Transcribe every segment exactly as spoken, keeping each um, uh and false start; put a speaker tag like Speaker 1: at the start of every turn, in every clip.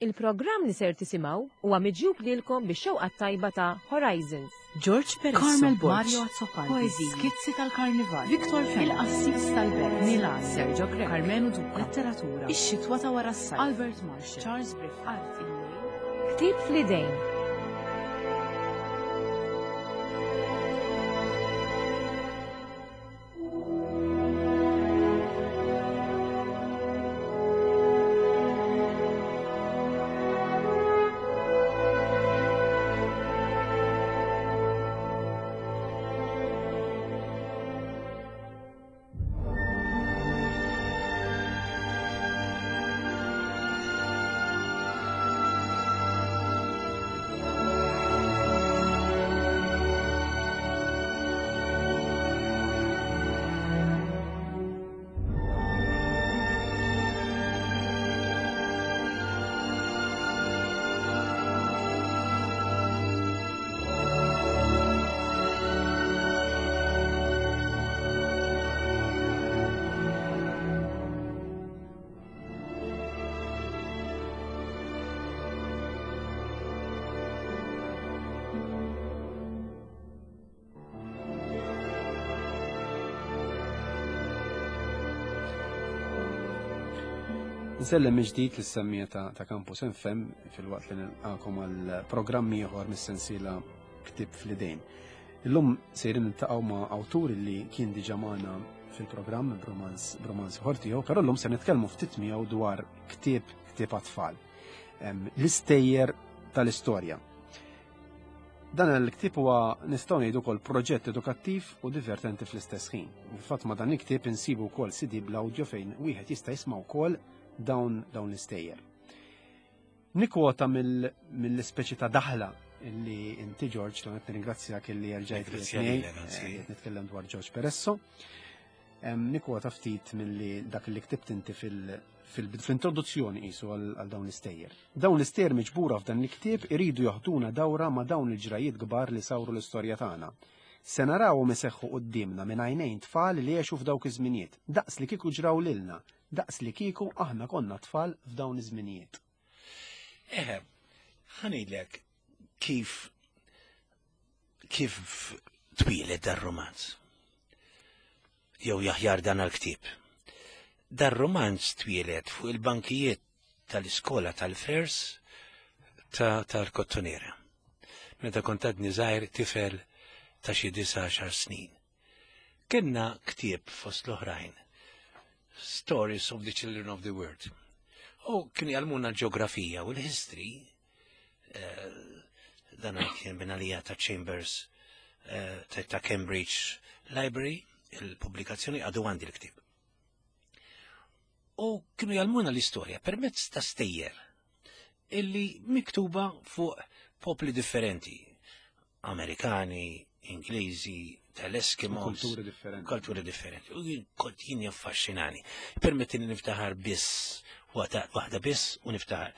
Speaker 1: Il-programm li ser tisimgħu huwa miġjub lilkom bix-xewqa tajba ta' Horizons.
Speaker 2: George Peresso,
Speaker 3: Carmel Borg,
Speaker 2: Mario Azzopardi,
Speaker 3: Poeziji,
Speaker 2: Skizzi tal-Karnival,
Speaker 3: Victor Fenech,
Speaker 2: Il-Qassis tal-Belt,
Speaker 3: Milan,
Speaker 2: Sergio Grech,
Speaker 3: Karmenu Duca,
Speaker 2: Letteratura,
Speaker 3: Ix-xitwa ta' wara s-sajf,
Speaker 2: Albert Marshall,
Speaker 3: Charles Griffith,
Speaker 2: Art il-Lejl,
Speaker 1: Ktieb fl-idejn.
Speaker 4: Nsellem ġdid lis-semmija ta', ta' Campus F M fil-waqt li nilqakom għal programm ieħor mis-sensiela Ktieb fl-idejn. Illum sejrin niltaqgħu ma' awtur li kien diġà magħna fil-programm b'romanz, b'romanz ieħor tiegħu, però llum se nitkellmu ftit miegħu dwar ktieb, ktieb għat-tfal. Em, l-istejjer tal-istorja. Dan il-ktieb huwa nistgħu ngħidu wkoll proġett edukattiv u divertenti fl-istess ħin. Fil-fatt ma' dan il-ktieb insibu wkoll C D bl-audio fejn wieħed jista' jisma' wkoll dawn, dawn l-istejjer. Nikwota mill-, mill-ispeċi ta' daħla illi inti George, l qed nirringrazzjak illi erġajt
Speaker 5: Ringrazzja
Speaker 4: miegħi,
Speaker 5: lilek, anzi.
Speaker 4: eh, qed nitkellem dwar George Peresso. Em, nikwota ftit milli dak li ktibt inti fil-, fil-, fl-introduzzjoni qisu għal, għal dawn l-istejjer. Dawn l-istejjer miġbura f'dan il-ktieb iridu jaħduna dawra ma' dawn il-ġrajiet kbar li sawru l-istorja tagħna. Se narawhom iseħħu quddiemna minn għajnejn tfal li għexu f'dawk iż-żminijiet, daqs li kieku ġraw lilna, daqs li kieku aħna konna tfal f'dawn iż-żminijiet.
Speaker 5: Eħe, ħanilek kif, kif twieled dar-romanz. Jew jaħjar dan għal-ktieb. Dar-romanz twieled fuq il-bankijiet tal-iskola tal-Fers ta' tal-Kottonera. Meta kont għadni żgħir tifel ta' xi disa' għaxar snin. Kenna ktieb fost l-oħrajn, Stories of the Children of the World. U kienu jgħallmuna l-ġeografija u l-history, eh, dan kien minn għalija ta' Chambers, eh, ta', ta' Cambridge Library, il-pubblikazzjoni għadu għandi l-ktieb. U kienu jgħallmuna l-istorja permezz ta' stejjer illi miktuba fuq popli differenti, Amerikani, Ingliżi, tal-Eskimos,
Speaker 4: Kulturi differenti.
Speaker 5: Kulturi differenti. U jien kont jien jaffaxxinani. Permettini niftaħar biss, waħda, waħda biss u niftaħar.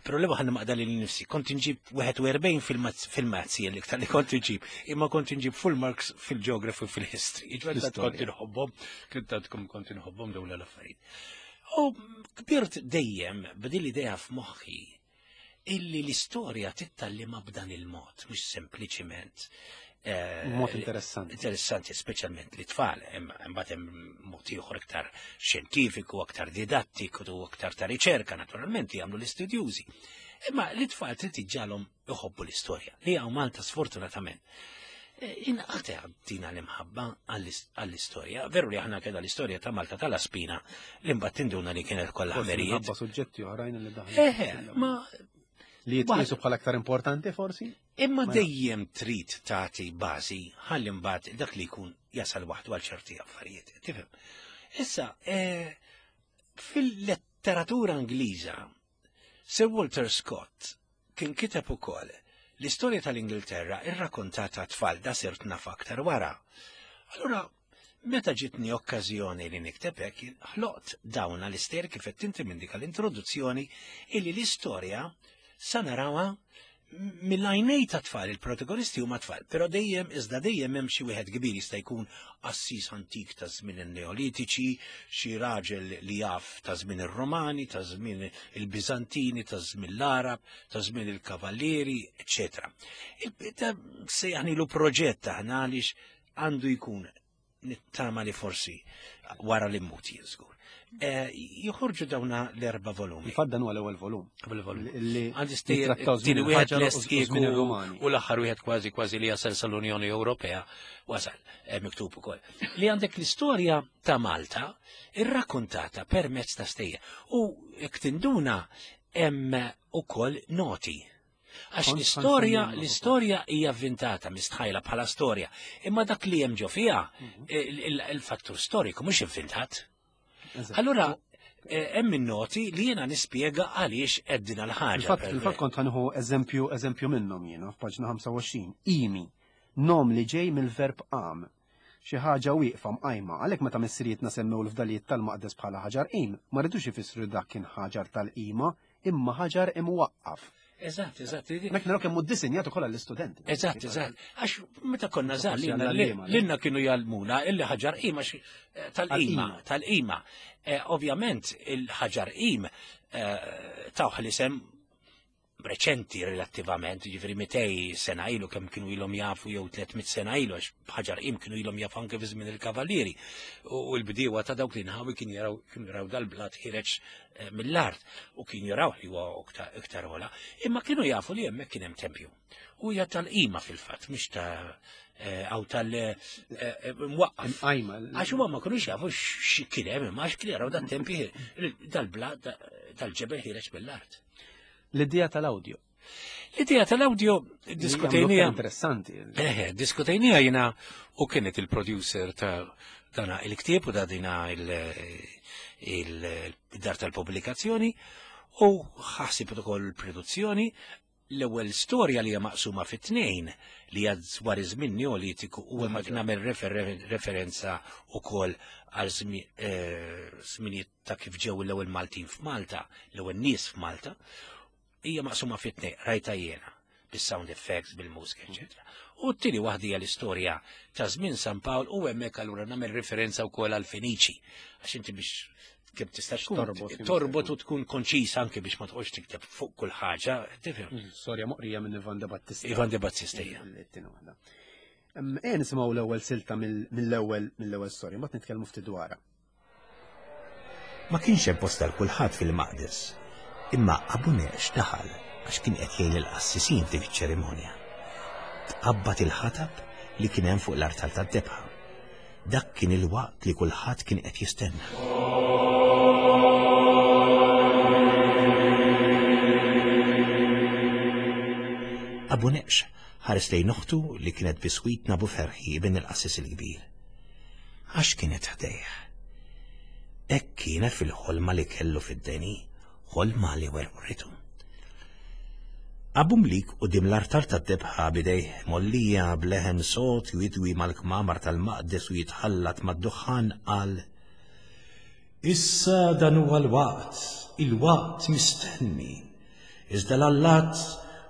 Speaker 5: Problema ħanna maqda li nifsi. Kont nġib wieħed u erbgħin fil-mazz-, fil-mazzi l-iktar li kont nġib, imma kont nġib full marks fil-geography u fil-history. Iġbed
Speaker 4: L-istorja.
Speaker 5: kont inħobbhom, kont għadkom kont inħobbhom dawn l-affarijiet. U kbirt dejjem b'din l-idea f'moħħi illi l-istorja titgħallimha b'dan il-mod, mhux sempliċiment. Eh,
Speaker 4: Mod interessanti.
Speaker 5: Interessanti, speċjalment li tfal, imbagħad hemm mod ieħor iktar xjentifiku, aktar didattiku u aktar ta' riċerka, naturalment jagħmlu l-istudjużi. Imma li tfal trid iġġalhom iħobbu l-istorja, li hawn Malta sfortunatament. Eh, inqata' dina l-imħabba għall-is-, għall-istorja. Veru li aħna kellna l-istorja ta' Malta tal-Aspina li mbagħad tinduna li kienet kollha
Speaker 4: Forsi
Speaker 5: ħmerijiet.
Speaker 4: minħabba suġġetti oħrajn li daħlu.
Speaker 5: Eħe, ma
Speaker 4: Li jitqiesu bħala aktar importanti forsi?
Speaker 5: Imma
Speaker 4: Ma
Speaker 5: dejjem trid tagħti bażi ħalli mbagħad dak li jkun jasal waħdu għal ċerti affarijiet. Tifhem? Issa, eh, fil-letteratura Ingliża, Sir Walter Scott kien kiteb ukoll l-istorja tal-Ingilterra irrakkontata tfal da sirt naf aktar wara. Allura, meta ġitni okkażjoni li nikteb hekk, ħloqt dawn l-istejjer kif qed inti minn dik l-introduzzjoni illi l-istorja sa narawha Mill-għajnej ta' tfal, il-protagonisti huma tfal, però dejjem iżda dejjem hemm xi wieħed kbir jista' jkun qassis antik ta' żmien in-Neolitiċi, xi raġel li jaf ta' żmien ir-Romani, ta' żmien il-Biżantini, ta' żmien l-Arab, ta' żmien il-Kavallieri, eċetera. Sejjaħnilu proġett aħna għaliex għandu jkun nittama li forsi wara li mmut jien żgur. Joħorġu dawna l-erba' volumi.
Speaker 4: Infatti dan huwa l-ewwel volum.
Speaker 3: Ewwel volum.
Speaker 4: Li
Speaker 3: Għandi stejjer
Speaker 4: jittrattaw żmien
Speaker 3: tieni wieħed
Speaker 4: il-ħaġar
Speaker 3: lest
Speaker 4: u żmien
Speaker 3: kieku
Speaker 4: ir-Rumani.
Speaker 3: u l-aħħar wieħed kważi kważi li jasal sal-Unjoni Ewropea wasal eh, miktub ukoll. Li għandek l-istorja ta' Malta irrakkontata permezz ta' stejjer. U jekk tinduna hemm ukoll noti. Għax
Speaker 4: Kont
Speaker 3: l-istorja,
Speaker 4: kont
Speaker 3: l-istorja hija avvintata, mistħajla bħala storja, imma dak li hemm ġo fiha
Speaker 4: Mhm.
Speaker 3: il- il- il-fattur storiku mhux ivvintat.
Speaker 4: Eżatt.
Speaker 5: Allura, eh, hemm in-noti li jiena nispjega għaliex qed l-ħaġa.
Speaker 4: Fil-fatt fil-fatt kont ħa nieħu eżempju eżempju minnhom jiena f'paġna ħamsa u għoxrin. Imi, nom li ġej mill-verb qam. Xi ħaġa wieqfa mqajma, għalhekk meta missirietna semmew l-fdalijiet tal-maqdes bħala ħaġar qim, ma ridux ifissru dak kien ħaġar tal-qima, imma ħaġar imwaqqaf.
Speaker 5: Eżatt, eżatt.
Speaker 4: Mek naraw kemm hu ddisinjat ukoll għall-istudenti.
Speaker 5: Eżatt, eżatt. Għax meta konna żgħar
Speaker 4: Forsi
Speaker 5: lilna
Speaker 4: għall-għalliema, le?
Speaker 5: lilna kienu jgħallmuna illi ħaġar qim għax eh, tal-qima,
Speaker 4: Għall-qima.
Speaker 5: tal-qima. Eh, Ovvjament il-ħaġar qim eh, tawh l-isem reċenti relattivament, ġifieri mitejn sena ilu kemm kienu ilhom jafu jew tliet mitt sena ilu, għax ħaġar qim kienu ilhom jafu anke fi żmien il-kavallieri. U l-bdiewa ta' dawk li nħawi kien jaraw kienu jaraw dal-blat ħireġ eh, mill-art u kien jaraw li huwa iktar- iktar ola, imma kienu jafu li hemmhekk kien hemm tempju. U hija tal-qima fil-fatt, mhix ta' eh, aw tal eh, eh, mwaqqaf.
Speaker 4: Imqajma.
Speaker 5: Għax huma ma kinux jafu x'kien hemm, imma għax kien jaraw dat-tempju dal-blat dal-ġebel ħireġ mill-art.
Speaker 4: L-idea tal-audio.
Speaker 5: L-idea tal-audio diskutejnija.
Speaker 4: Interessanti.
Speaker 5: Eħe, diskutejnija jina u kienet il-producer ta' dana il-ktieb u da dina il-dar tal-pubblikazzjoni u ħasib ukoll il-produzzjoni. L-ewwel storja li hija maqsuma fit-tnejn li hija dwar iż-żmien Neolitiku u hemmhekk nagħmel refer- referenza wkoll għal żmi- eh, żminijiet ta' kif ġew l-ewwel Maltin f'Malta, l-ewwel nies f'Malta, hija maqsuma fit-tnejn, rajta jiena bis-sound effects, bil-mużika, eċetera. U t-tieni waħda hija l-istorja ta' żmien San Pawl u hemmhekk allura nagħmel referenza wkoll għal Feniċi. Għax inti biex kemm tista' tkun
Speaker 4: Torbot, kemm
Speaker 5: torbot u tkun konċis anke biex ma tqgħodx tikteb fuq kull ħaġa, tifhem.
Speaker 4: Storja moqrija minn Ivan De Battista.
Speaker 5: Ivan De Battista hija.
Speaker 4: Il-tieni waħda. Em, Ejja nisimgħu l-ewwel silta mill- mill-ewwel mill-ewwel storja, mbagħad nitkellmu ftit dwarha.
Speaker 5: Ma kienx hemm post għal kulħadd fil-maqdes. Imma Abu Neqx daħal għax kien qed jgħin il-qassisin f'dik iċ-ċerimonja. Tqabbad il-ħatab li kien hemm fuq l-artal tad-debħa. Dak kien il-waqt li kulħadd kien qed jistenna. Abu Neqx ħares lejn oħtu li kienet biswit Nabu Ferħi bin il-qassis il-kbir. Għax kienet ħdejh. Hekk kienet fil-ħolma li kellu fid-deni, ħolma li werwritu. Abu Mlik quddiem l-artal tad-debħa bidejh mollija bleħen sot jidwi mal-kmamar tal-maqdes u jitħallat mad-duħan qal: "Issa dan huwa l-waqt, il-waqt mistenni. Iżda l-allat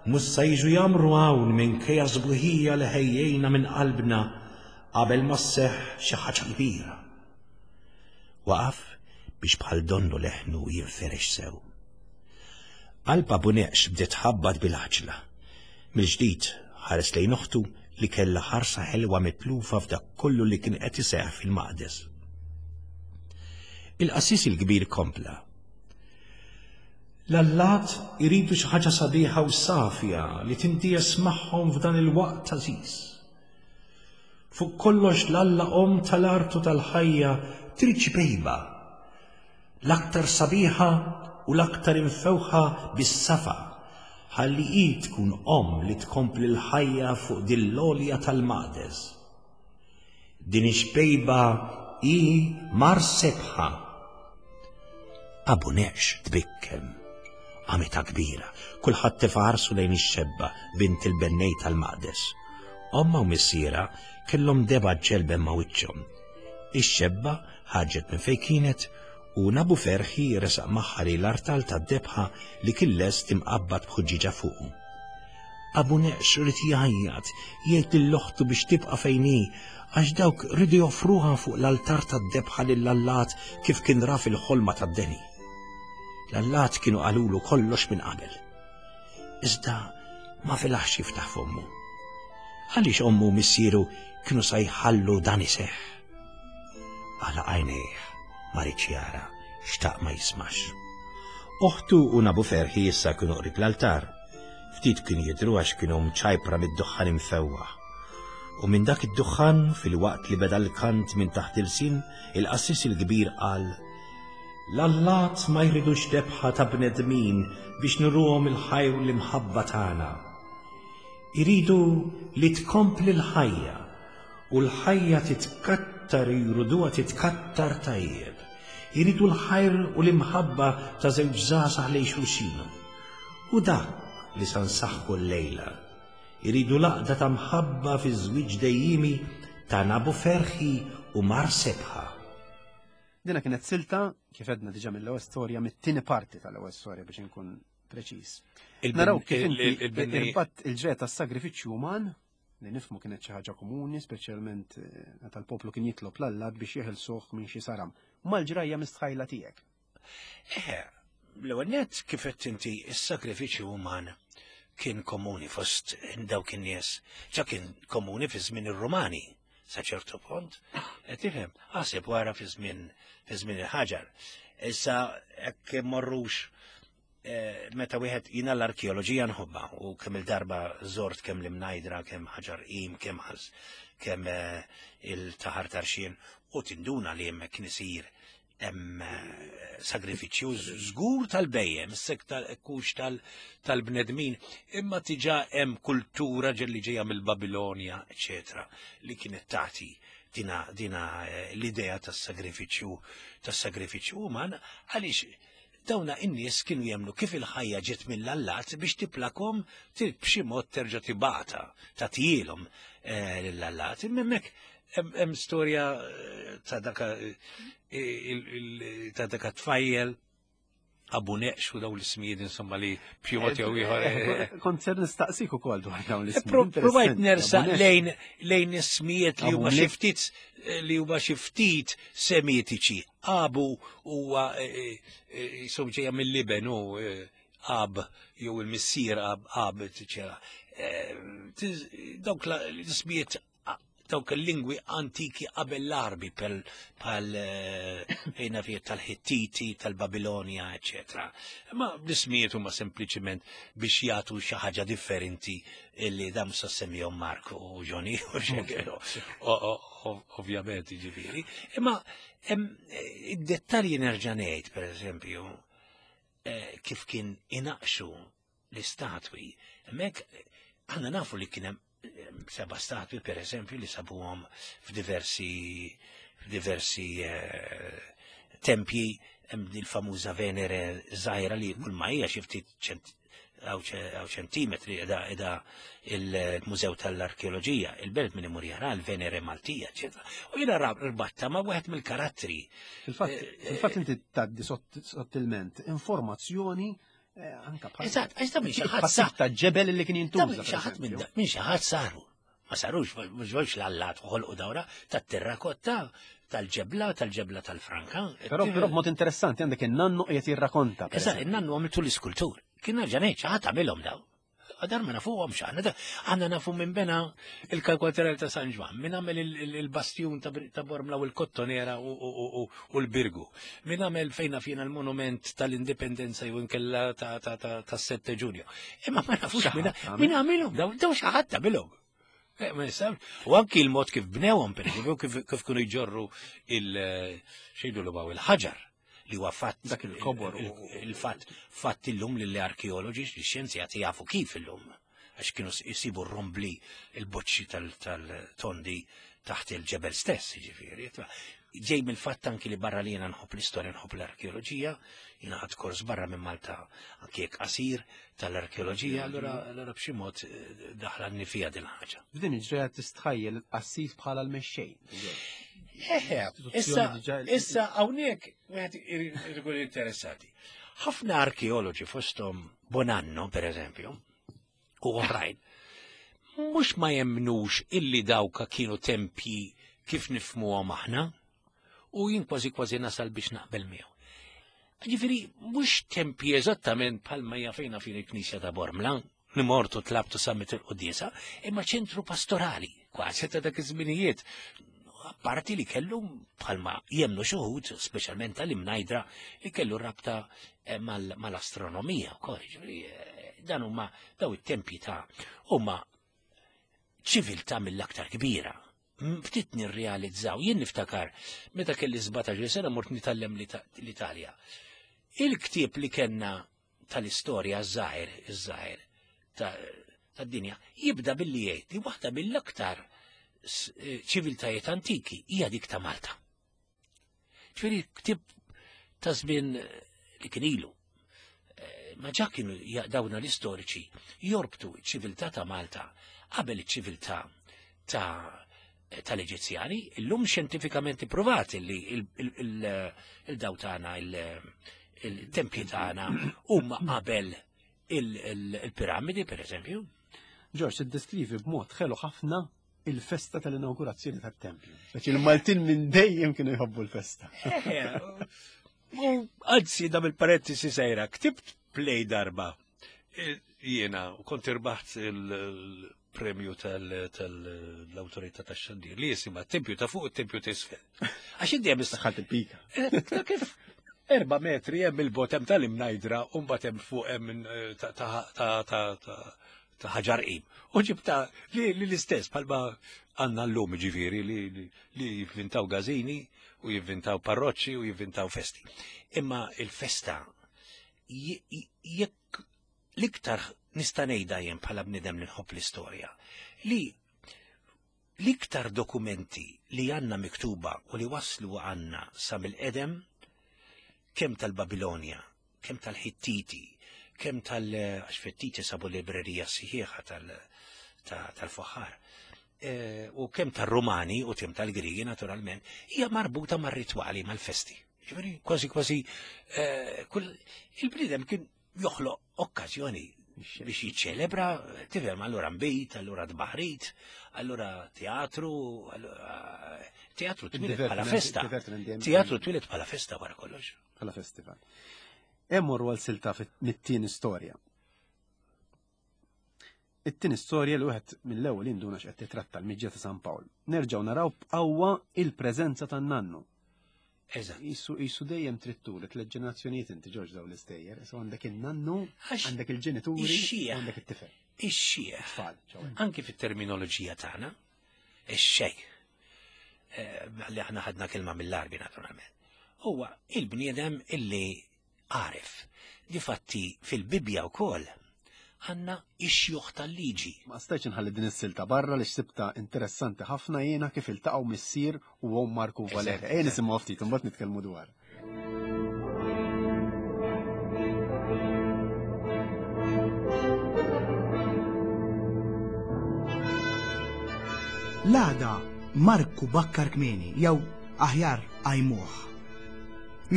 Speaker 5: mhux se jiġu jagħmru hawn minkejja sbuħija li ħejjejna minn qalbna qabel ma sseħħ xi ħaġa kbira." Waqaf biex bħal donnu leħnu jinferex sew. Qalb Abu Neqx bdiet tħabbat bil-ħaġla. Mill-ġdid ħares lejn oħtu li kellha ħarsa ħelwa mitlufa f'dak kollu li kien qed iseħħ fil-maqdes. Il-qassis il-kbir kompla: "L-allat iridu xi ħaġa sabiħa u safja li tindies magħhom f'dan il-waqt għażiż. Fuq kollox l-alla om tal-art u tal-ħajja trid xbejba, l-aktar sabiħa u l-aktar imfewħa bis-safa, ħalli hi tkun om li tkompli l-ħajja fuq din l-għolja tal-maqdes. Din ix-xbejba hi Mar Sebħa." Abu Neqx tbikkem. Għamita kbira, kulħadd tefa' ħarsu lejn ix-xebba bint il-bennej tal-maqdes. Omma u missiera kellhom deba ġelben ma' wiċċhom. Ix-xebba ħarġet minn fejn kienet u Nabu Ferħi resaq magħha lejn l-artal tad-debħa li kien lest imqabbad b'ħuġġiġa fuqu. Abu Neqx ried jgħajjat, jgħid lil oħtu biex tibqa' fejn hi, għax dawk ridu joffruha fuq l-altar tad-debħa lill-allat kif kien ra fil-ħolma tad-deni. L-allat kienu qalulu kollox minn qabel. Iżda ma felaħx jiftaħ fommu. Għaliex ommu u missieru kienu sa jħallu dan iseħħ? Għalaq għajnejh, ma riedx jara, xtaq ma jismax. Oħtu u Nabu Ferħi issa kienu qrib l-altar. Ftit kien jidru għax kienu mċajpra mid-duħħan imfewwaħ. U minn dak id-duħħan, fil-waqt li beda l-kant minn taħt ilsien, il-qassis il-kbir qal: L-allat ma jridux debħa ta' bnedmin biex nuruhom il-ħajr u l-imħabba tagħna. Iridu li tkompli l-ħajja, u l-ħajja titkattar, jriduha titkattar tajjeb. Iridu l-ħajr u l-imħabba ta' żewġ żgħażagħ lejn xulxin. U dak li sa nsaħħu llejla. Iridu l-għaqda ta' mħabba fi żwieġ dejjimi ta' Nabu Ferħi u Mar Sebħa.
Speaker 4: Dina kienet silta, kif għedna diġà mill-ewwel storja, mit-tieni parti tal-ewwel storja biex inkun preċiż. Naraw kif inti irbatt il-ġrajja tas-sagrifiċċju uman, li nifhmu kienet xi ħaġa komuni, speċjalment eh, meta l-poplu kien jitlob l-allat biex jeħilsuh minn xi saram. Mal-ġrajja mistħajla tiegħek.
Speaker 5: Eh, l-ewwel nett, kif qed inti, is-sagrifiċċju uman kien komuni fost dawk in-nies. Ġa kien komuni fi żmien ir-Rumani sa ċertu punt. Qed tifhem, aħseb wara fi żmien fi żmien il-ħaġar. Issa hekk morrux eh, meta wieħed, jiena l-arkeoloġija nħobba u kemm il-darba żort kemm l-Imnajdra, kemm Ħaġar Qim, kemm ħas, kemm eh, il-Taħar Tarxien, u tinduna li hemmhekk kien isir hemm eh, sagrifiċċju żgur tal-bhejjem, sek tal-kux tal-bnedmin, imma diġà hemm kultura ġelli ġejja mill-Babilonja, eċetera, li kienet tagħti dina, dina eh, l-idea tas-sagrifiċċju tas-sagrifiċċju uman, għaliex dawna in-nies kienu jemmnu kif il-ħajja ġiet mill-allat biex tiplakom trid b'xi mod terġa' tibgħatha tagħtihielhom eh, lill-allat. Imma hemmhekk hemm storja eh, ta' daka eh, ta' daka tfajjel Abu Neqx u daw l-ismijiet insomma li b'xi mod jew ieħor.
Speaker 4: Kont ser nistaqsik ukoll dwar dawn l-ismijiet.
Speaker 5: Provajt nersaq lejn lejn ismijiet li huma xi ftit li huma xi ftit semitiċi. Abu huwa jisom ġejja mill-Liben u Ab jew il-missier Ab Ab dawk l-ismijiet, dawk il-lingwi antiki qabel l-Arbi pal ejna fiet tal-Hittiti, tal-Babilonia, eccetera. Ma l-ismijiet huma sempliċiment biex jagħtu xi ħaġa differenti illi dam sa semmihom Mark u Johnny ovvjament, ġifieri. Imma id-dettalji nerġa' ngħid, pereżempju, eh, kif kien inaqxu l-istatwi. Hemmhekk aħna nafu li kien hemm seba statwi, per eżempju, li sabuhom f'diversi f'diversi eh, tempji, hemm il-famuża Venere żgħira li kull ma hija xi ftit għaw ċentimetri edha edha il-Mużew tal-Arkeoloġija, il-belt minn imur jara l-Venere Maltija, eċetera. U jiena rbatta ma' wieħed mill-karattri.
Speaker 4: Fil-fatt inti tgħaddi sottilment informazzjoni eh, anka bħal.
Speaker 5: Eżatt, għax ta' minn xi ħadd sa.
Speaker 4: Ta' ġebel li kien jintuża.
Speaker 5: Minn xi ħadd minn xi ħadd saru. Ma sarux, mhux ġewx l-allat ħolqu dawra tat-terrakotta, tal-ġebla, tal-ġebla tal-franka.
Speaker 4: Però però b'mod interessanti għandek in-nannu qiegħed jirrakonta.
Speaker 5: Eżatt, in-nannu għamiltu l-iskultur. Kien nerġa' ngħid xi ħadd għamilhom daw. Għadar ma nafuhom x'aħna. Aħna nafu minn bena il-kalkwaterel ta' San Ġwann, minn għamel il-bastjun ta' Bormla u l-Kottonera u l-Birgu, minn għamel fejna fina l-monument tal-Indipendenza jew inkella ta' sette Ġunju. Imma ma nafux minn għamilhom, daw daw xi ħadd għamilhom. Eh, ma nistax. U anki il-mod kif bnewhom, per eżempju, kif kienu jġorru il-xejdu l il-ħaġar li huwa fatt
Speaker 4: dak il-kobor
Speaker 5: il-fatt fatt illum li l-arkeoloġi, li xjenzjati jafu kif illum, għax kienu jsibu r-rombli, il-boċċi tal-tondi taħt il-ġebel stess, jiġifieri. Ġej mill-fatt anki li barra li jiena nħobb l-istorja, nħobb l-arkeoloġija, jiena ħadt kors barra minn Malta anki jekk qasir tal-arkeoloġija, allura allura b'xi mod eh, daħla fija din ħaġa.
Speaker 4: F'din il-ġrajja tistħajjel il-qassis bħala l-mexxej.
Speaker 5: Eħe, issa, issa hawnhekk wieħed ikun interessati. Ħafna arkeoloġi fosthom Bonanno, per eżempju,
Speaker 3: u oħrajn. Mhux ma jemnux illi dawka kienu tempji kif nifhmuhom aħna, u jien kważi kważi nasal biex naqbel miegħu. Ġifieri mhux tempji eżattament bħalma jafejna fin il-Knisja ta' Bormla, li mortu tlabtu sammit il-quddiesa, imma ċentru pastorali, kważi ta' dak iż-żminijiet. Apparti li kellu bħalma jemnu xi wħud, speċjalment tal-Imnajdra, li kellu rabta eh, mal- mal-astronomija wkoll. Ġifieri, eh, dan huma daw it-tempji ta' huma ċiviltà mill-aktar kbira. M- Ftit nirrealizzaw, jien niftakar meta kelli sbatax-il sena mort nitgħallem l-Ita- l-Italja. Il-ktieb li kellna tal-istorja żgħir, iż-żgħir tad-dinja, jibda billi jgħid li waħda mill-aktar s- eh, ċiviltajiet antiki hija dik ta' Malta. Ġifieri ktieb ta' żmien eh, li kien ilu. Eh, Ma ġa kienu ja- dawna l-istoriċi jorbtu ċ-ċiviltà ta' Malta qabel iċ-ċiviltà ta' tal-Eġizzjani, illum xjentifikament ippruvat li il-daw tagħna, il-tempji tagħna huma qabel il-piramidi, per eżempju.
Speaker 4: George, tiddeskrivi b'mod ħelu ħafna il-festa tal-inaugurazzjoni tat-tempju. Għax il-Maltin minn dejjem kienu jħobbu l-festa.
Speaker 3: U anzi dam il-parentesi sejra, ktibt play darba. E, Jiena, u kont irbaħt il-premju tal-autorità tax-xandir li jisimha tempju ta' fuq u tempju ta' isfel. Għax inti hemm
Speaker 4: Daħalt il-pika.
Speaker 3: Eh, ta' kif erba metri hemm il-bot hemm tal-Imnajdra u mbagħad hemm fuq hemm eh, ta' ta' ta' ta' ta' ta' Ħaġar Qim. U ġibta li li l-istess bħalma għandna llum ġifieri li li li jivvintaw gazini u jivvintaw parroċċi u jivvintaw festi. Imma il-festa je- jekk l-iktar nista' ngħidha jien bħala bniedem li nħobb l-istorja li l-iktar dokumenti li għanna miktuba u li waslu għanna sa mill-qedem kemm tal-Babilonja, kemm tal-Ħittiti, kemm tal- għax Ħittiti sabu librerija sħiħa tal- ta- tal-Foħħar, eh, u kemm tal-Rumani u kemm tal-Grigi naturalment, hija marbuta mar-ritwali, mal-festi. Ġifieri, kważi kważi eh, kull il-bniedem kien joħloq okkażjoni biex jiċċelebra, tifhem, allura nbejt, allura tbaħrit, allura teatru, allura teatru twieled bħala festa. Teatru twieled bħala festa wara kollox.
Speaker 4: Bħala festival. Emmorru għal silta mit-tieni storja. It-tieni storja li wieħed mill-ewwel induna x'qed titratta l-miġja ta' San Pawl. Nerġgħu naraw b'qawwa il-preżenza tan-nannu.
Speaker 3: Eżatt.
Speaker 4: Isu isu dejjem trid turi tliet ġenerazzjonijiet inti Ġorġ daw l-istejjer. So għandek in-nannu,
Speaker 3: Għax
Speaker 4: għandek il-ġenituri,
Speaker 3: ix-xieħ.
Speaker 4: u għandek it-tifel.
Speaker 3: Ix-xieħ.
Speaker 4: Tfal, ċoè.
Speaker 3: Anki fit-terminoloġija tagħna, ix-xejn. Eh, Li aħna ħadna kelma mill-Arbi naturalment. Huwa il-bniedem illi għaref. Difatti fil-Bibja wkoll għandna ix-xjuħ tal-liġi.
Speaker 4: Ma stajtx inħalli din is-silta barra li xsibta interessanti ħafna jiena kif iltaqgħu missier u omm Marku Valerja. Ejja nisimgħu ftit imbagħad nitkellmu dwar.
Speaker 6: L-għada Marku bakkar kmieni, jew aħjar qajmuh.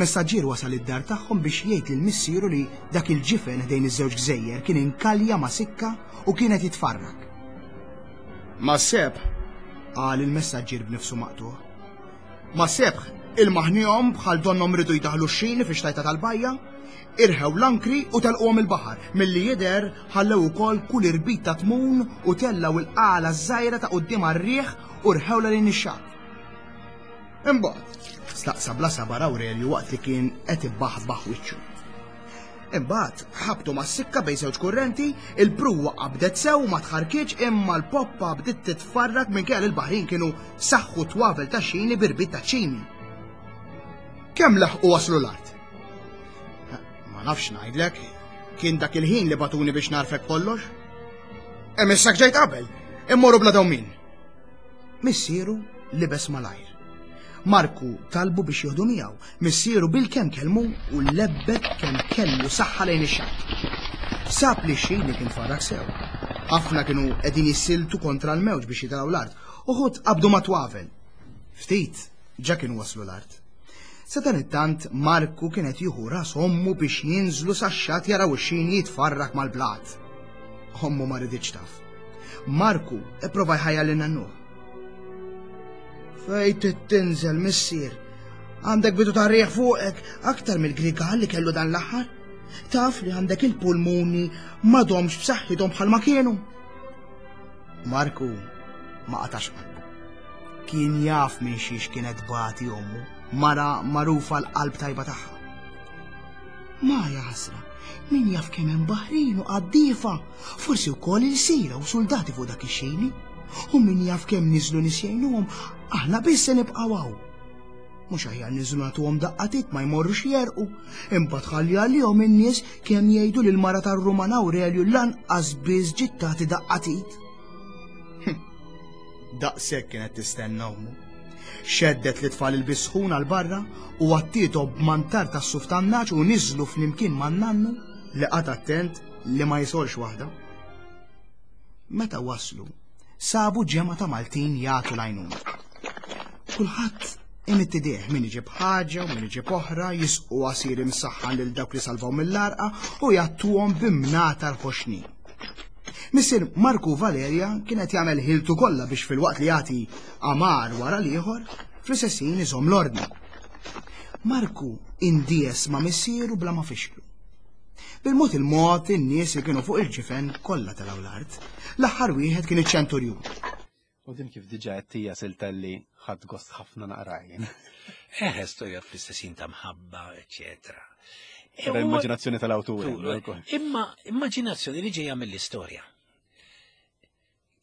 Speaker 6: Messaġġier wasal id-dar tagħhom biex jgħid lil missieru li dak il-ġifen ħdejn iż-żewġ gżejjer kien inkalja ma' sikka u kienet jitfarrak. Ma sebħ, qal il-messaġġier b'nifsu maqtuħ. Ma sebħ, il-maħnihom bħal donnom ridu jdaħlu x-xini fi xtajta tal-bajja, irħew l-ankri u telquhom il-baħar, milli jidher ħallew ukoll kull irbit ta' tmun u tellaw il-qala żgħira ta' quddiem għar-riħ u rħewla lejn ix-xatt. Imbagħad, staqsa bla sabar Aurelju waqt li kien qed ibbaħbaħ wiċċu. Imbagħad ħabtu mas-sikka bejn żewġ kurrenti, il-pruwa qabdet sew ma tħarkiċ imma l-poppa bdiet titfarrak minkejja li l-baħrin kienu saħħu twavel ta' xini b'irbit ta' ċimi. Kemm laħqu waslu l-art? Ma nafx ngħidlek, kien dak il-ħin li batuni biex narfek kollox. Hemm issa ġejt qabel, immorru bla dawmin. Missieru libes malajr. Marku talbu biex jieħdu miegħu, missieru bil-kemm kelmu u lebbet kemm kellu saħħa lejn ix-xatt. Sab li xejn li kien farrak sew. Ħafna kienu qegħdin jissiltu kontra l-mewġ biex jitilgħu l-art, uħud qabdu ma' twavel. Ftit ġa kienu waslu l-art. Sadanittant Marku kien qed jieħu ras ommu biex jinżlu sax-xatt jaraw ix-xini jitfarrak mal-blat. Ommu ma riditx taf. Marku ipprova jħajjar lil nannuh. Fejn trid tinżel, missier? Għandek bidu ta' riħ fuqek aktar mill-grigal li kellu dan l-aħħar. Taf li għandek il-pulmuni m'għadhomx b'saħħithom bħalma kienu. Marku ma qatax qalbu. Kien jaf minn xiex kienet tbati ommu, mara magħrufa l-qalb tajba tagħha. Ma jaħasra, min jaf kemm hemm baħrin u qaddiefa, forsi wkoll ilsira u soldati fuq dak ix-xini. U min jaf kemm niżlu nies jgħinuhom, aħna biss se nibqgħu hawn. Mhux aħjar niżlu nagħtuhom daqqa t'id ma jmorrux jegħrqu, imbagħad ħalli għalihom in-nies kemm jgħidu lil mara tar-Ruman Aurelju lanqas biss ġiet tagħti daqqa t'id. Daqshekk kienet tistenna ommu. Xeddet lit-tfal il-bisħun għal barra u għattiethom b'mantar tas-suf tan-nagħaġ u niżlu flimkien man-nannu li qagħad attent li ma jisolx waħda. Meta waslu, sabu ġemgħa ta' Maltin jagħtu l-għajnuna. Kulħadd imidd idejh min iġib ħaġa u min iġib oħra, jisqu għasir imsaħħan lil dawk li salvaw mill-għarqa u jgħattuhom b'imnatar ħoxnin. Missier Marku Valeria kien qed jagħmel ħiltu kollha biex filwaqt li jagħti amar wara l-ieħor, fl-istess ħin iżomm l-ordni. Marku indies ma' missieru bla ma fixklu. Bil-mod il-mod in-nies li kienu fuq il-ġifen kollha telgħu l-art. L-aħħar wieħed kien iċ-ċenturjun.
Speaker 4: U din kif diġà qed hija silta li ħadt gost ħafna naqra jien.
Speaker 5: Eh, storja fl-istess ħin ta' mħabba, eċetera. E
Speaker 4: Era
Speaker 5: u-
Speaker 4: immaġinazzjoni tal-awtur.
Speaker 5: Imma immaġinazzjoni li ġejja mill-istorja.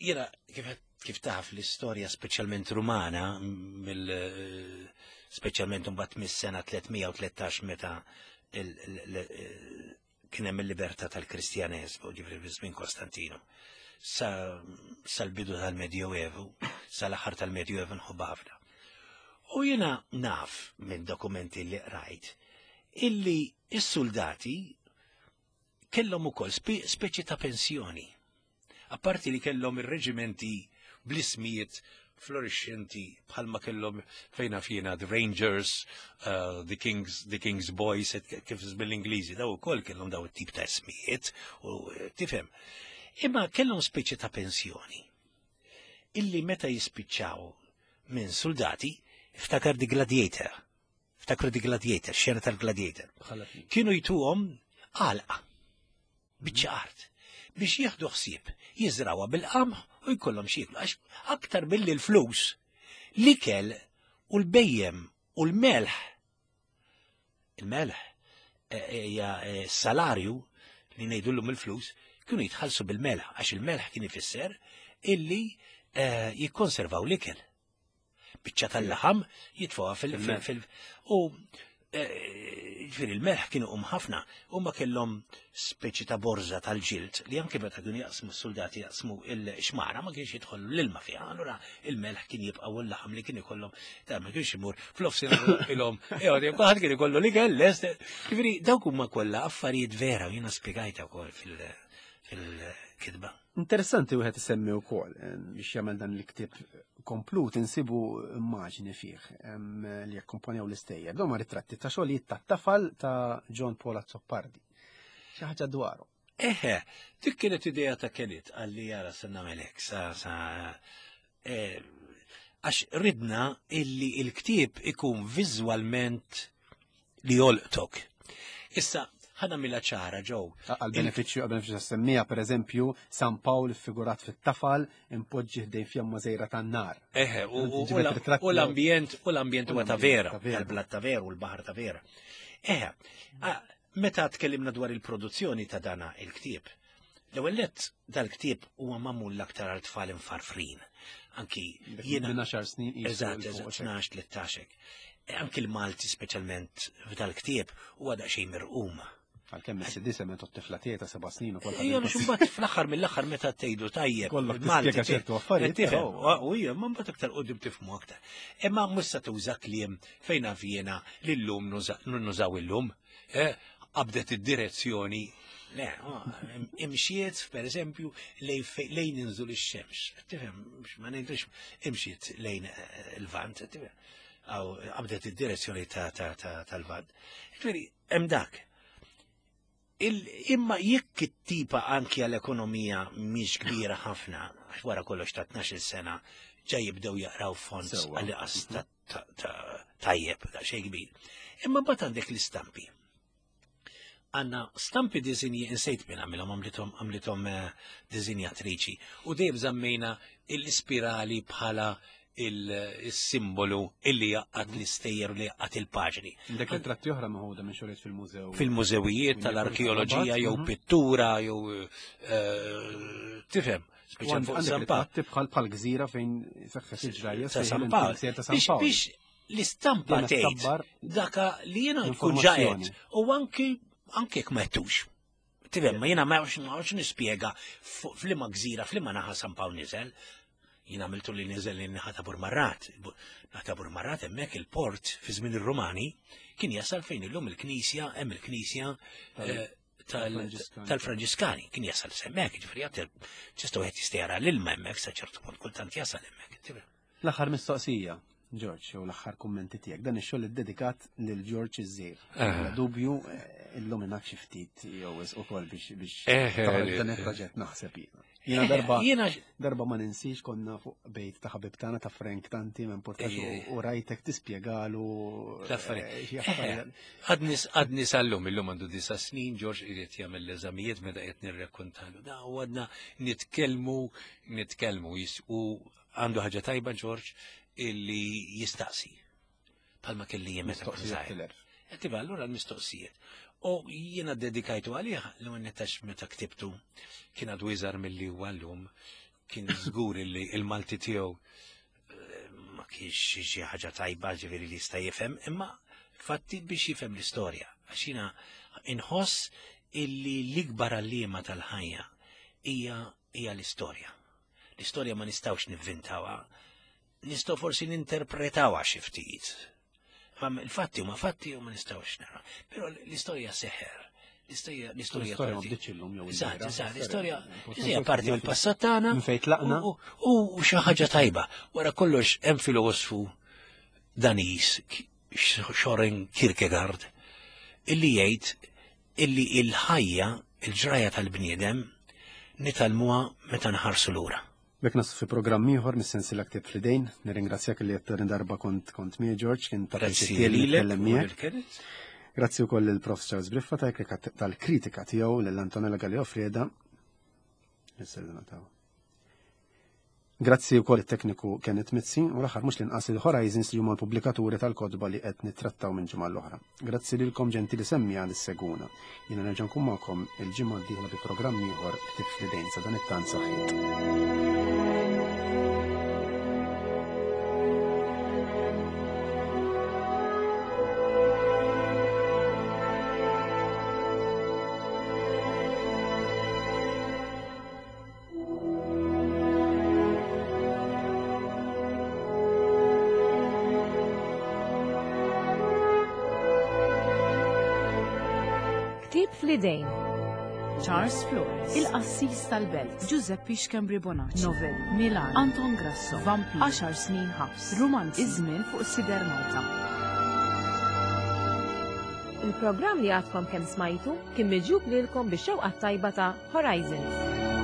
Speaker 5: Jiena kif kif taf l-istorja speċjalment rumana mill speċjalment imbagħad mis-sena tliet mija u tlettax meta il- il- il- kien hemm il-libertà tal-Kristjaneżmu, ġifieri fi żmien Kostantino. Sa sal-bidu tal-Medjoevu, sal-aħħar tal-Medjoevu nħobbha ħafna. U jiena naf minn dokumenti li qrajt illi is-soldati kellhom ukoll spe speċi ta' pensjoni. Apparti li kellhom ir-reġimenti bl-ismijiet florixxenti bħalma kellhom fejna fjena the Rangers, uh, the Kings, the King's Boys, et kif bil-Ingliżi, daw ukoll kellhom daw it-tip ta' ismijiet u eh, tifhem. Imma kellhom speċi ta' pensjoni illi meta jispiċċaw minn soldati, iftakar The Gladiator. Iftakru The Gladiator, xena tal-Gladiator. Kienu jtuhom għalqa, biċċa art, biex jieħdu ħsieb, jiżrawha bil-qamħ u jkollhom x'jieklu. Għax aktar billi l-flus, l-ikel u l-bhejjem u l-melħ. Il-melħ eh, hija eh, salarju li ngħidulhom il-flus, kienu jitħallsu bil-melħ, għax il-melħ kien ifisser illi eh, jikkonservaw l-ikel. Biċċa tal-laħam jitfuha fil- fil- fil- u eh, ġifieri il-melħ kienu um ħafna u ma kellhom speċi ta' borza tal-ġild li anke meta kienu jaqsmu s-soldati jaqsmu il-xmara ma kienx jidħol l-ilma fiha, allura il-melħ kien jibqa' u l-laħam li kien ikollhom ta' ma kienx imur fl-offsina ilhom, eħod kulħadd kien ikollu li kell lest. Ġifieri dawk huma kollha affarijiet vera u jiena spjegajta wkoll fil- fil-kitba.
Speaker 4: Interessanti wieħed isemmi wkoll eh, biex jagħmel dan il-ktieb komplut insibu immaġni fih em, li jakkumpanjaw l-istejjer. Dawn huma ritratti ta' xogħlijiet ta' tafal ta' John Paul Azzopardi. Xi ħaġa dwaru.
Speaker 5: Eħe, dik kienet idea ta' Kenneth għalli jara se nagħmelek sa sa eh, għax ridna illi il-ktieb ikun viżwalment li jolqtok. Issa, ħa nagħmilha ċara ġew.
Speaker 4: Għal-benefiċċju għal-benefiċċju tas-semmija, per eżempju, San Pawl figurat fit-tafal impoġġi ħdejn fjamma żgħira tan-nar.
Speaker 5: Eħe, u- u
Speaker 4: Ġibet
Speaker 5: u
Speaker 4: ritratti
Speaker 5: u l-ambjent, u l-ambjent huwa ta' vera,
Speaker 4: ta' vera.
Speaker 5: tal-blat ta' vera u l-baħar ta' vera. Eħe, a- meta tkellimna dwar il-produzzjoni ta' dana il-ktieb, l-ewwel nett dal-ktieb huwa magħmul l-aktar għal tfal imfarfrin. Anki jiena
Speaker 4: Minn għaxar snin qisu
Speaker 5: Eżatt,
Speaker 4: 'l
Speaker 5: eżatt,
Speaker 4: fuq,
Speaker 5: tnax, tlettax. E, Anki l-Malti speċjalment f'dal-ktieb huwa daqsxejn mirqum.
Speaker 4: Għalkemm is-C D semmet t-tifla tiegħi ta' seba' snin ukoll.
Speaker 5: Ejja, mhux imbagħad fl-aħħar mill-aħħar meta tgħidu tajjeb.
Speaker 4: Kollok
Speaker 5: il-Malti
Speaker 4: tispjega ċertu affarijiet,
Speaker 5: Tifhem,
Speaker 4: però.
Speaker 5: u hija, ma mbagħad aktar qudiem tifhmu aktar. Imma mhux se tuża kliem fejn jiena lillum nużaw illum. eh, Qabdet id-direzzjoni. Le, oh, imxiet, per eżempju, lejn fej- lejn inżul ix-xemx. Tifhem, ma ngħidux imxiet lejn eh, il-vant, tifhem. Aw qabdet id-direzzjoni ta' ta' ta' tal-vant. Ġifieri, hemm dak. Imma jekk it-tipa anki għall-ekonomija mhix kbira ħafna, għax wara kollox ta' tnax-il sena ġa jibdew jaqraw fonts għal qas tajjeb, da xejn kbir. Imma mbagħad għandek l-istampi. Għanna stampi dizinji, insejt minn għamilhom, għamlithom għamlithom dizinjatriċi. U dejjem żammejna l-ispirali bħala il-simbolu illi jaqqat l-istejjer u li jaqqat il-paġni.
Speaker 4: Dak ritratti oħra maħuda minn xogħlijiet fil-mużew.
Speaker 5: Fil-mużewijiet tal-arkeoloġija jew pittura jew tifhem. Speċjal fuq San Pawl.
Speaker 4: Bħal bħal gżira fejn seħħet il-ġrajja
Speaker 5: ta' San Pawl. Biex l-istampa tgħid daka li jiena nkun ġajet u anki anke jekk ma jettux. Tifhem, ma jiena ma nafx nispjega f'liema gżira, f'liema naħa San Pawl niżel. Jien għamiltu li niżel li naħa ta' Burmarrat. Naħa ta' Burmarrat hemmhekk il-port fi żmien ir-Rumani kien jasal fejn illum il-knisja, hemm il-knisja tal-Franġiskani, kien jasal hemmhekk, ġifieri għad tista' wieħed jista' jara l-ilma hemmhekk sa ċertu punt kultant jasal hemmhekk.
Speaker 4: L-aħħar mistoqsija, George, jew l-aħħar kummenti tiegħek, dan ix-xogħol iddedikat lil George iż-żgħir. Bla dubju illum ingħad xi ftit jew ukoll biex biex dan il-proġett naħseb jiena. Jiena darba darba ma ninsix konna fuq bejt ta' ħabib tagħna ta' Frank Tanti minn Portax u rajtek tispjegalu
Speaker 5: l-affarijiet. Għadni sal-lum, illum għandu disa snin, George irid jagħmel l-eżamijiet meta qed nirrakkontalu. Da u għadna nitkellmu, nitkellmu u għandu ħaġa tajba George illi jistaqsi. Palma kelli jien meta kont żgħir. Tiba allura l-mistoqsijiet. U jiena dedikajtu għalih l nettax meta ktibtu kien għadu iżgħar milli huwa llum, kien żgur illi il-Malti tiegħu ma kienx xi ħaġa tajba ġifieri li jista' jifhem, imma fatti biex jifhem l-istorja. Għax jiena inħoss illi l-ikbar għalliema tal-ħajja hija hija l-istorja. L-istorja ma nistgħux nivvintawha, nistgħu forsi ninterpretawha xi ftit. Ma il-fatti huma fatti u ma nistgħux nara. Però l-istorja seħer. L-istorja
Speaker 4: l-istorja ma bdietx illum jew
Speaker 5: Eżatt, eżatt, l-istorja hija parti mill-passat tagħna.
Speaker 4: Minn fejn tlaqna.
Speaker 5: U xi ħaġa tajba. Wara kollox hemm filosfu Daniż, Soren Kierkegaard, illi jgħid illi il-ħajja, il-ġraja tal-bniedem nitalmuha meta nħarsu lura.
Speaker 4: Bek nasu fi programm ieħor mis-sensiela Ktieb fl-idejn, nirringrazzjak li qed darba kont kont miegħi George, kien ta' pjaċir li nitkellem miegħek. Grazzi wkoll lil Prof Charles Briffa tal-kritika tiegħu lil Antonella Galea Frieda. Grazzi wkoll it-tekniku Kenneth Mizzi u l-aħħar mhux l-inqas il-Horizons li huma l-pubblikaturi tal-kotba li qed nittrattaw minn ġimgħa l-oħra. Grazzi lilkom ġentili semmija li seguna. Jiena nerġa' nkun magħkom il-ġimgħa d-dieħla bi programm ieħor Ktieb fl-idejn sa dan it-tant saħħit.
Speaker 1: Ktieb fl-idejn.
Speaker 2: Charles Flores, Il-Qassis tal-Belt, Giuseppe Schembri Bonacci, Novelli, Milan, Anton Grasso, Vampir, għaxar snin ħabs, Romanzi, Iż-żmien fuq Sider Malta.
Speaker 1: Il-programm li għadkom kemm smajtu kien miġjub lilkom bix-xewqa tajba ta' Horizons.